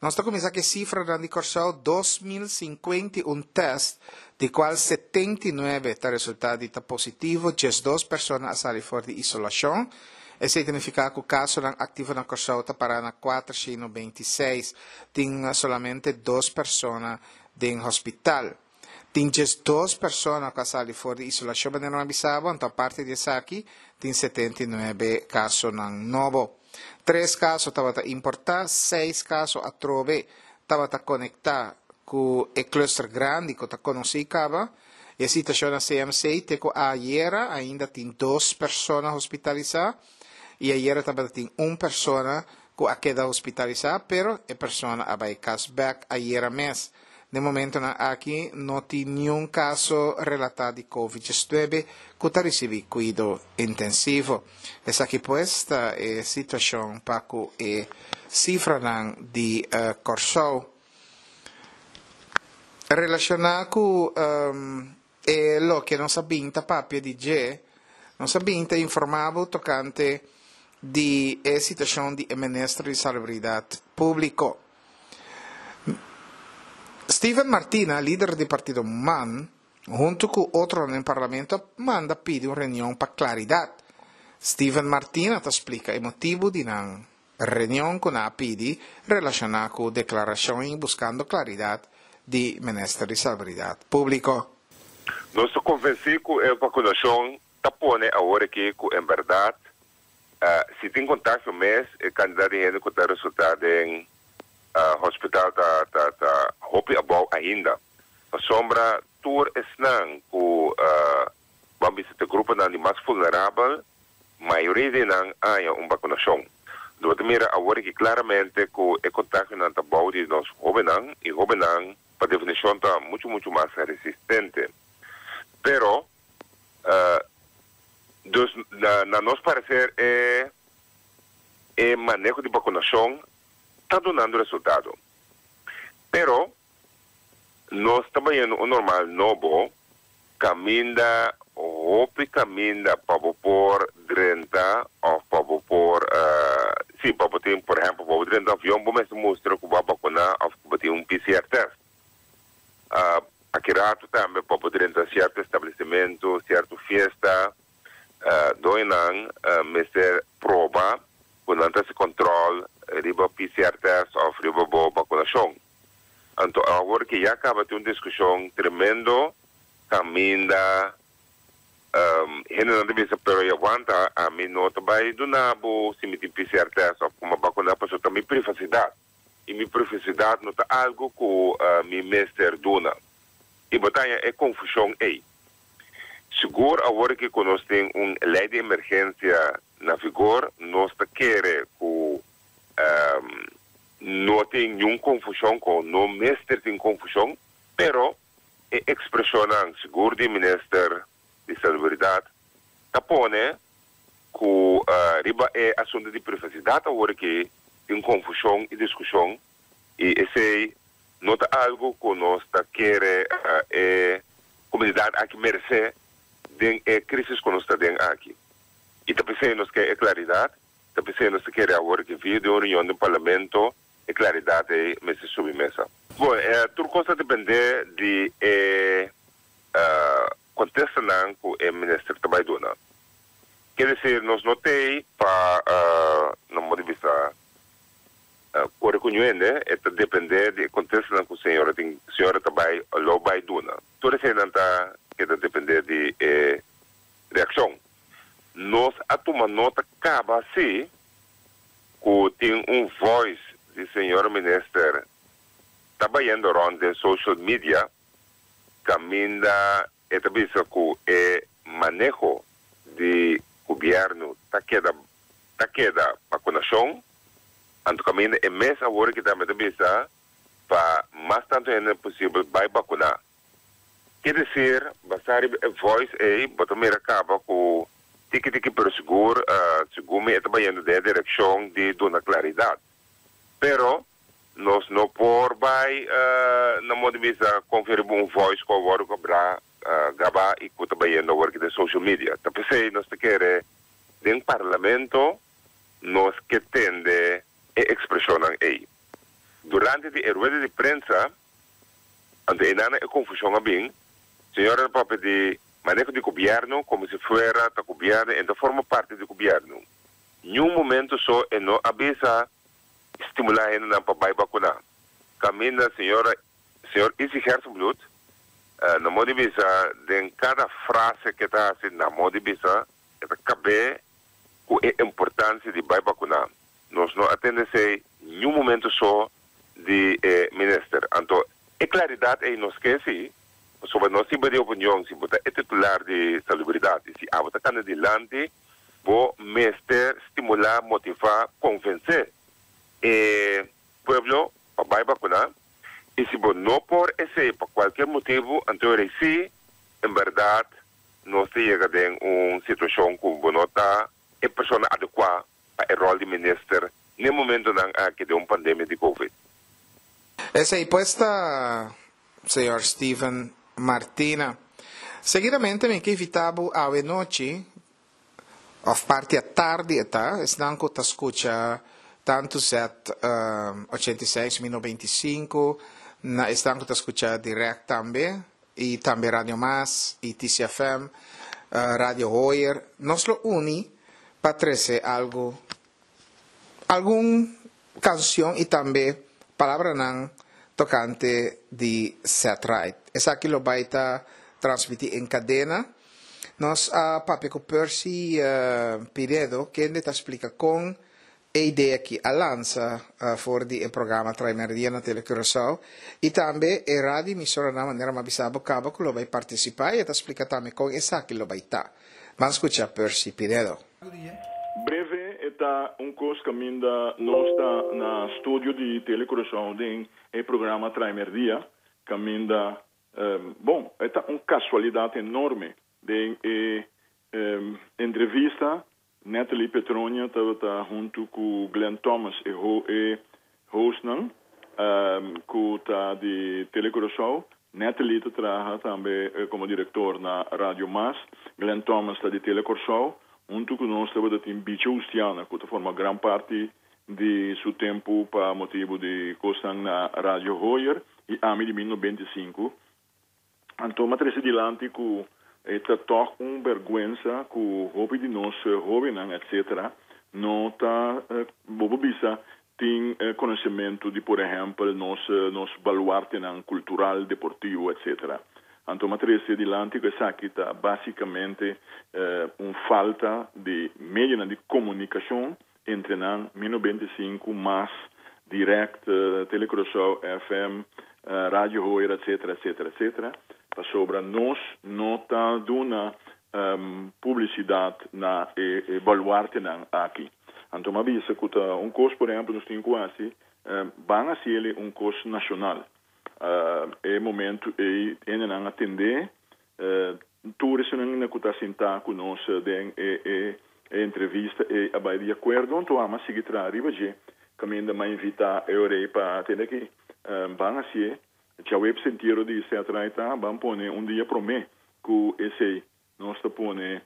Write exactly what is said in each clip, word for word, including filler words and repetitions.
Nos ta kuminsá ku e sifranan di Kòrsou, dos mil sinkuenta i un tèst, di kual setenta i nuebe ta resultá di ta positivo, diesdos persona a sali for di isolashon. Esei ta nifiká ku kasonan aktivo na Kòrsou ta para na kuatershen bintiseis. Tin solamente dos persona den hospital. Tin diesdos persona ku a sali for di isolashon, manera avisá, anto aparte di esaki, tin setenta i nuebe kasonan nobo. Tres kaso tabata importá, seis kaso atrobe tabata konektá ku e cluster grandi ku ta konosí kaba. E situashon na C M C, te ku ayera ainda tin dos persona hospitalisá i ayera tabatin un persona ku a keda hospitalisá, pero e persona a bai kas bèk ayera mes. Na e momentonan aki no tin ningun kaso relatá di COVID diesnuebe ku ta risibí kuido intensivo. Esaki pues ta e situashon pa ku e sifranan di uh, Kòrsou. Relashoná ku um, e loke nos a bin ta papia di dje, nos a bin ta informá tokante di e situashon di minister di Salubridat Públiko. Steven Martina, lider di partido MAN, huntu ku otro den parlamento, a manda pidi un reunion pa klaridat. Steven Martina ta splika e motibu di nan reunion ku nan a pidi relashoná ku deklarashon i buskando klaridat di minister di Salubridat Públiko. Nos ta konvensí ku e vakunashon ta pone awor aki ku en berdat uh, si tin kontakto mes, e kantidat di hende ku ta resultá den uh, hospital ta ta ta hopi abou ainda. Pasombra tur esnan ku uh, ban bisa e gruponan di mas vulnerabel, mayoria di nan a haña un vakunashon. Nos ta mira awor aki klaramente ku e kontaktonan ta bou di nos hóbennan i hóbennan pa definishon ta muchu muchu mas resistente. Pero uh, dus na, na nos pareser e e maneho di vakunashon ta dunando resultado. Pero nos ta bayendo un normal nobo, kaminda hopi kaminda pa por drenta òf pa por uh, sí, pa tin, por ehèmpel, pa drenta avion, bo mester mustra ku bo a vakuná òf ku tin un P C R test. Uh, aki ratu tambe pa drenta sierto establesimentu, sierto fiesta, uh, doñonan uh, mester proba ku nan ta kontrol riba P C R test òf riba bo vakunashon. Anto, awor ku ya kaba tin un diskushon tremendo, kaminda um, hende nan ta bisa, pero ya wanta, ami no ta bai duna bo si mi tin P C R test òf ku m'a vakuná, paso ta mi privasidat. I mi privasidat no ta algu ku uh, mi mester duna. I bo ta haña e konfushon ei. Sigur awor ku nos tin un lei di emergensia na vigor, nos ta kere ku um, no tin ningun konfushon, ku no mester tin konfushon, pero e ekspreshon sigur di minister di Salubridat ta pone ku uh, riba e asuntu di privasidat awor ku tin konfushon i diskushon i esei no ta algu ku nos ta kere uh, e komunidat aki meresé den e krísis ku nos ta den aki. I ta p'esei nos ke klaridat, ta p'esei nos ke awor ku via di un reunion di parlamento e klaridat ei mester subi mesa. Bon, eh, tur kos ta dependé di e uh, kontestanan ku e minister ta bai duna. Ke men, nos no tin pa uh, no por bisa uh, kore ku hende, e ta dependé di kontestanan ku señora tin, señora ta bai lo bai duna. Tur esei ta ku ta dependé di eh, reakshon. Nos a tuma nota kaba sí ku tin un voice di señor minister ta bayendo rònt den social media, kaminda e ta bisa ku e maneho di gobièrnu ta keda ta keda vakunashon, anto kaminda e mes awor ku tambe ta bisa pa mas tantu hende posibel bai vakuná. Ke men, basá riba e voice ei, bo ta mira kaba ku tiki tiki pero sigur, uh, sigur mi ta bayendo den direkshon di duna klaridat. Pero nos no por bai uh, na moda di bisa konfirmá un voice ku a wòrdu grabá uh, grabá i ku ta bayendo awor den social media. Ta p'esei nos ta kere den parlamento nos ke tende e ekspreshon ei. Durante Durante di e rueda di prensa, anto einan e konfushon a bin, señora a papia di maneho di gobièrnu komo si fuera ta gobièrnu e no ta forma parti di gobièrnu. Niun momento so e no a bisa stimulá hendenan pa bai vakuná. Kaminda señora señor Izzy Gerstenbluth, na moda di bisa den kada frase ku e ta hasi, na moda di bisa e ta kab'é ku e importansia di bai vakuná. Nos no a tende esei niun momento so di e minister. Anto e klaridat ei nos ke si, pasobra nos tin di opinion, si bo ta e titular di salubridat i si abo ta kanda dilanti, bo mester stimulá, motivá, konvensé e pueblo pa bai vakuná. I si bo no por esei pa kualke motibu, anto si en bèrdat nos ta yega den un situashon ku bo no ta e persona adekuá pa e ròl di minister na e momentonan aki di un pandemia di Covid. Esei pues ta señor Steven Martina. Seguidamente mi ke invitá bo awe nochi, òf parti atardi ta, esnan ku ta skucha tantu Z um, ochenta i seis mil nobenta i sinku, na esnan ku ta skucha Direct tambe, i tambe Radio Mas, i T C F M, uh, Radio Hoyer, nos lo uni pa trese algu, algun kanshon i tambe palabranan tokante di Ced Ride. Esaki lo bai ta transmití den kadena. Nos a papia ku Percy uh, Pinedo, ku ta splika kon e idea ku a lansa uh, for di e programa Traimerdia na Telecuraçao i tambe e radio emisora na manera m'a bisa bo kaba ku lo bai partisipá i ta splika tambe kon esaki lo bai ta. Ban skucha Percy Pinedo. Breve ta un kos kaminda nos ta na studio di Telecuraçao den e programa Traimerdia, kaminda um, bon, ta un kasualidat enorme den e um, entrevista Natalie Petronia tabata huntu ku Glenn Thomas e ho e hostnan um, ku ta di Telecuraçao. Natalie ta traha tambe eh, komo direktor na Radio Mas. Glenn Thomas ta di Telecuraçao. Huntu ku nos tabata tin Bicho Ustiana, ku ta forma gran parti di su tempu pa motibu di kosnan na Radio Hoyer, i ami di mil nobenta i sinku. Anto, m'a trese dilanti ku ta toch un bèrgwensa ku hopi di nos hóbennan, et cetera, no ta bo bisa tin konosementu di, por ehèmpel, nos nos baluartenan kultural, deportivo, et cetera. Anto, m'a trese dilanti ku esaki ta básikamente eh, un falta di medio di komunikashon entre nan mil nobenta i sinku, Mas, Direct, uh, Telecuraçao, F M, uh, Radio Hoyer, et cetera, et cetera, et cetera. Pasobra nos no ta duna um, publisidat na e, e baluartenan aki. Anto, m'a bisa ku un kos, por ehèmpel, nos tin ku hasi, um, ban hasi un kos nashonal. Uh, e momento ei nan a atendé uh, tur esnan ku ta sintá ku nos den e, e, e entrevista e a bai di akuerdo, anto m'a sigui traha riba dje, kaminda m'a invitá e ora pa tende aki um, ban hasi djaweps entiero di Ced Ride ta, ban pone un dia promé ku esei, nos ta pone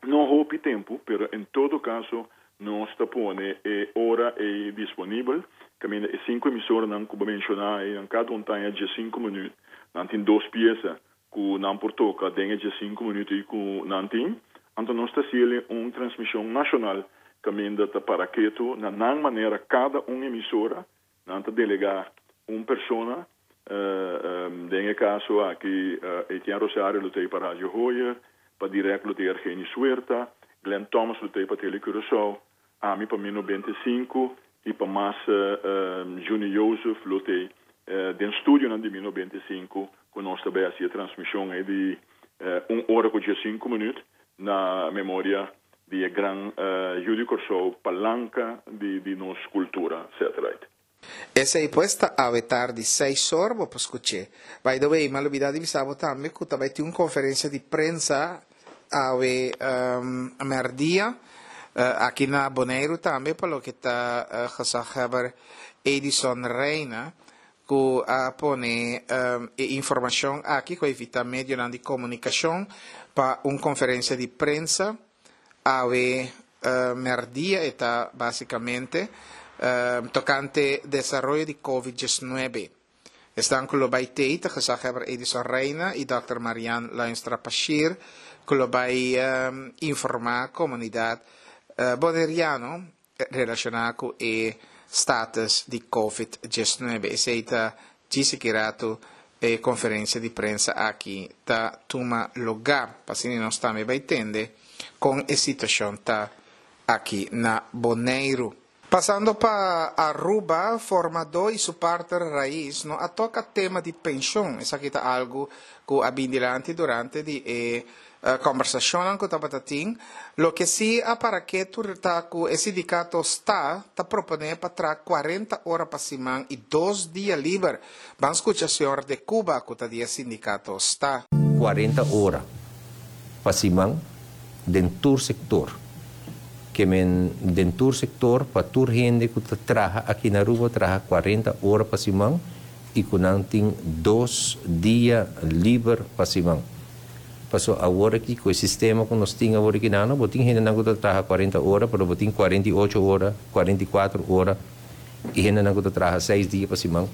no hopi tempu, pero en todo kaso nos ta pone e ora ei disponibel, kaminda e sinku emisoranan ku menshoná ei, kada un tin diesinku minüt, nan tin dos piesa ku nan por toka den diesinku minüt i ku nan tin. Anto nos ta hasi un transmishon nashonal kaminda ta para ketu na nan manera kada un emisora nan ta delegá un persona, uh, um, den kaso aki uh, Etienne Rosario lo tei pa Radio Hoyer, pa Direct lo tei Argeni Suerta, Glenn Thomas lo tei pa Tele Curaçao, ami pa mil nobenta i sinku i pa Mas uh, um, Junior Joseph lo tei uh, den studio na di mil nobenta i sinku ku nos tambe hasi transmishon ei di uh, un ora ku sinku minüt na memoria di gran uh, yu di Kòrsou, palanka di, di nos kultura, et cetera. Esei pues ta awe tardi seis or bo por skucha. By the way, m'a lubidá di bisa bo tambe ku tambe tin un konferensia di prensa awe um, mèrdia uh, aki na Boneiru tambe pa loke ta uh, gezaghebber Edison Reina, ku a pone um, informashon aki ku a invitá medio di komunikashon pa un konferensia di prensa awe uh, mèrdia ta básikamente. uh, tokante desaroyo di COVID diesnuebe. Esnan ku lo bai tei ta gezaghebber Edison Reina i Dòkter Marian Luinstra Pashir, ku lo bai um, informá komunidat uh, boneriano relashoná ku e status di COVID diesnuebe. Esei ta djis ratu e konferensia di prensa aki ta tuma lugá. Pa asina nos tambe bai tende kon e situashon ta aki na Boneiru. Pasando pa Aruba, formadó i su partner Raiz no a toka tema di penshun. Esaki ta algu ku a bin dilanti durante di e uh, kombersashon ku tabata tin. Loke si a para ketu ta ku e sindikato STA ta proponé pa traha kuarenta ora pa siman i dos dia liber. Ban skucha señor De Cuba ku ta di sindikato STA. kuarenta ora pa siman den tur sektor. Ke men den tur sektor pa tur hende ku ta traha aki na Aruba traha kuarenta ora pa siman i ku nan tin dos dia liber pa siman. Paso awor aki ku e sistema ku nos tin awor aki no, bo tin hende nan ku traha kuarenta ora, pero bo tin kuarenta i ocho ora, kuarenta i kuater ora i hende nan ku traha seis dia pa siman.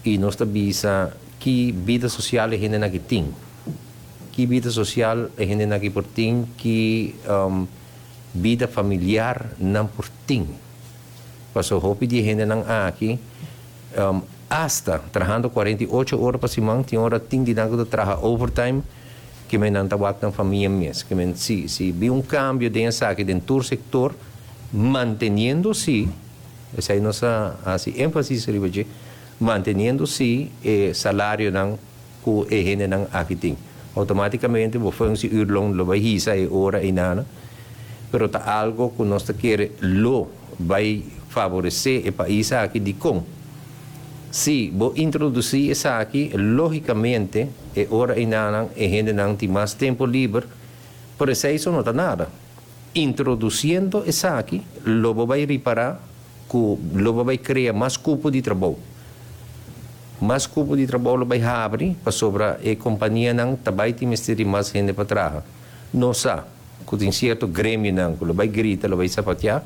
I nos ta bisa ki bida sosial e hende nan aki tin. Ki bida sosial e hende nan aki por tin, ki um, bida familiar nan por tin. Paso hopi di hende nan aki um, hasta trahando kuarenta i ocho ora pa siman, tin ora tin di nan ku traha overtime, ke men nan ta wak nan famia mes. Ke men si, si bin un kambio den esaki den tur sektor, manteniendo si, esei nos a hasi énfasis riba dje, manteniendo si e salario nan ku e hende nan aki tin. Outomátikamente bo functie uurloon lo bai hisa e ora einan, pero ta algu ku nos ta kere lo bai favoresé e pais aki. Dikon? Si bo introdusí esaki, lógikamente e ora einan e hende nan tin mas tempu liber, pero esei no ta nada. Introdusiendo esaki, lo bo bai ripará ku lo bo bai krea mas kupo di trabou. Mas kupo di trabou lo bai habri, pasobra e kompania nan ta bai tin mester di mas hende pa traha. Nos sa ku tin sierto gremio nan ku lo bai grita, lo bai sapateá,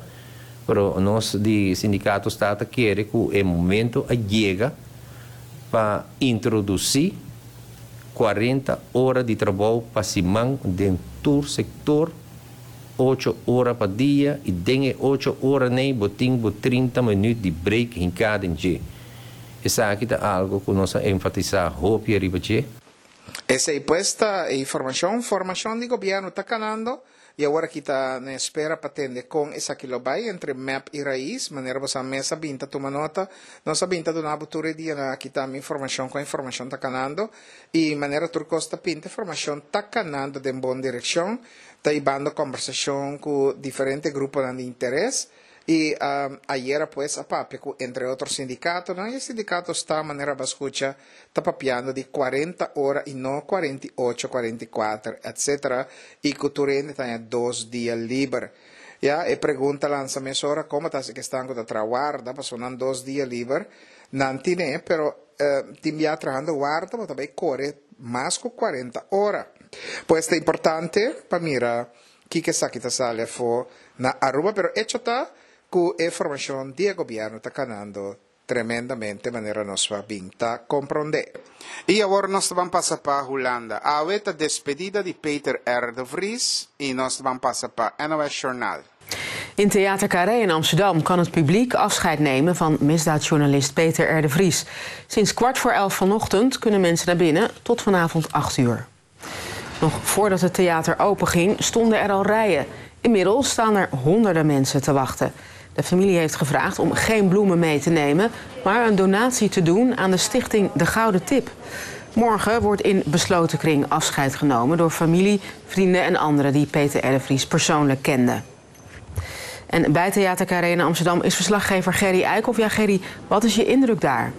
pero nos di sindikato STA ta kere ku e momento a yega pa introdusí kuarenta ora di trabou pa siman den tur sektor, ocho ora pa dia i den ocho ora ei bo tin bo trinta minüt di break den kada dia. Esaki ta algu ku nos a enfatisá hopi riba dje. Esei pues ta informashon, formashon di gobièrnu ta kanando i awor aki ta na espera pa tende kon esaki lo bai entre M E P i Raiz, manera bo mes a bin ta tuma nota, nos a bin ta duna tur dia na aki ta informashon ku informashon ta kanando i manera tur kos ta pinta, informashon ta kanando den bon direkshon, ta hibando kombersashon ku diferente grupo di interes i um, ayera pues a papia ku entre otro sindikato, no? E sindikato STA, manera bo a skucha, ta papiando di kuarenta ora i no kuarenta i ocho, kuarenta i kuater, et cetera. I ku tur hende tin dos dia liber. Ja, e pregunta lansa mesora kon ta ku esnan ku ta traha warda, paso nan dos dia liber, nan tin, pero eh, tin bia trahando warda, bo tambe kore mas ku kuarenta ora. Pues ta importante pa mira kiko esaki ta sali afó na Aruba, pero hecho ta ku e formashon di gobièrnu ta kanando tremendamente, manera nos a bin ta komprondé. I awor nos ta bai pasa pa Hulanda. Awe ta despedida di Peter R. de Vries i nos ta bai pasa pa N O S Journaal. In Theater Carré in Amsterdam kan het publiek afscheid nemen van misdaadjournalist Peter R. de Vries. Sinds kwart voor elf vanochtend kunnen mensen naar binnen tot vanavond acht uur. Nog voordat het theater openging, stonden er al rijen. Inmiddels staan er honderden mensen te wachten. De familie heeft gevraagd om geen bloemen mee te nemen, maar een donatie te doen aan de stichting De Gouden Tip. Morgen wordt in besloten kring afscheid genomen door familie, vrienden en anderen die Peter R. de Vries persoonlijk kenden. En bij Theater Carré in Amsterdam is verslaggever Gerry Eikhoff. Ja, Gerry, wat is je indruk daar?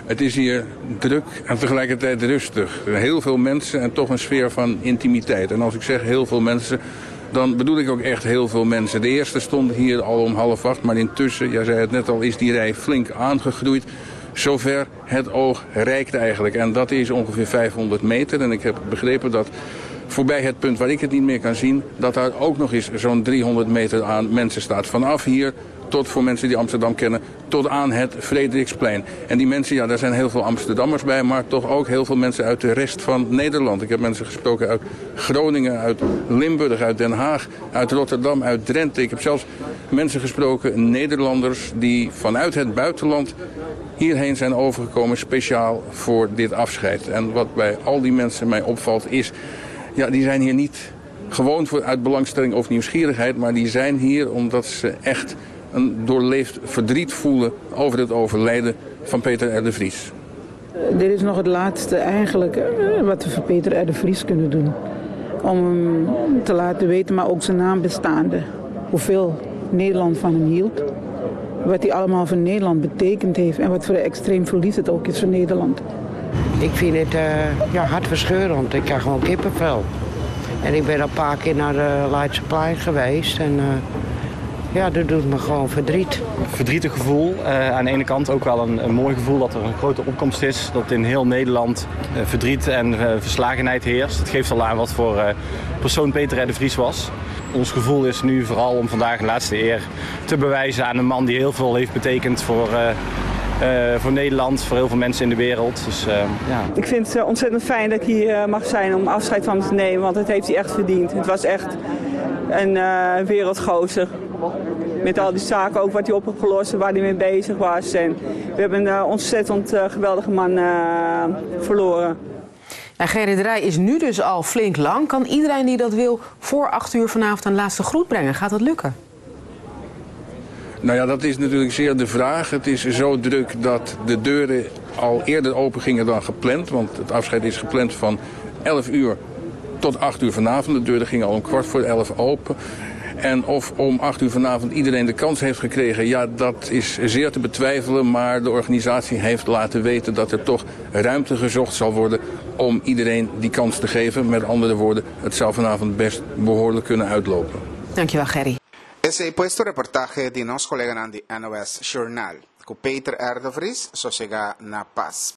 Het is hier druk en tegelijkertijd rustig. Heel veel mensen en toch een sfeer van intimiteit. En als ik zeg heel veel mensen, dan bedoel ik ook echt heel veel mensen. De eerste stonden hier al om half acht, maar intussen, jij zei het net al, is die rij flink aangegroeid. Zover het oog reikt eigenlijk. En dat is ongeveer vijfhonderd meter. En ik heb begrepen dat Voorbij het punt waar ik het niet meer kan zien, dat daar ook nog eens zo'n driehonderd meter aan mensen staat. Vanaf hier tot, voor mensen die Amsterdam kennen, tot aan het Frederiksplein. En die mensen, ja, daar zijn heel veel Amsterdammers bij, maar toch ook heel veel mensen uit de rest van Nederland. Ik heb mensen gesproken uit Groningen, uit Limburg, uit Den Haag, uit Rotterdam, uit Drenthe. Ik heb zelfs mensen gesproken, Nederlanders, die vanuit het buitenland hierheen zijn overgekomen speciaal voor dit afscheid. En wat bij al die mensen mij opvalt is, ja, die zijn hier niet gewoon voor uit belangstelling of nieuwsgierigheid, maar die zijn hier omdat ze echt een doorleefd verdriet voelen over het overlijden van Peter R. de Vries. Dit is nog het laatste eigenlijk wat we voor Peter R. de Vries kunnen doen. Om hem te laten weten, maar ook zijn nabestaanden. Hoeveel Nederland van hem hield. Wat hij allemaal voor Nederland betekend heeft. En wat voor een extreem verlies het ook is voor Nederland. Ik vind het uh, ja, hartverscheurend. Ik krijg gewoon kippenvel. En ik ben al een paar keer naar de Leidseplein geweest. En uh, ja, dat doet me gewoon verdriet. Een verdrietig gevoel. Uh, aan de ene kant ook wel een, een mooi gevoel dat er een grote opkomst is. Dat in heel Nederland uh, verdriet en uh, verslagenheid heerst. Het geeft al aan wat voor uh, persoon Peter R. de Vries was. Ons gevoel is nu vooral om vandaag een laatste eer te bewijzen aan een man die heel veel heeft betekend voor, uh, uh, voor Nederland, voor heel veel mensen in de wereld. Dus, uh, ja. Ik vind het ontzettend fijn dat ik hier mag zijn om afscheid van hem te nemen, want dat heeft hij echt verdiend. Het was echt een uh, wereldgozer. Met al die zaken, ook wat hij op heeft gelost en waar hij mee bezig was. En we hebben een ontzettend uh, geweldige man uh, verloren. Nou, Gerry, de rij is nu dus al flink lang. Kan iedereen die dat wil voor acht uur vanavond een laatste groet brengen? Gaat dat lukken? Nou ja, dat is natuurlijk zeer de vraag. Het is zo druk dat de deuren al eerder open gingen dan gepland. Want het afscheid is gepland van elf uur tot acht uur vanavond. De deuren gingen al om kwart voor elf open. En of om acht uur vanavond iedereen de kans heeft gekregen, ja, dat is zeer te betwijfelen. Maar de organisatie heeft laten weten dat er toch ruimte gezocht zal worden om iedereen die kans te geven. Met andere woorden, het zou vanavond best behoorlijk kunnen uitlopen. Dankjewel, Gerry. Esey pues ta reportahe di nos coleganan di N O S Journaal. Cu Peter R. de Vries, sosega na paz.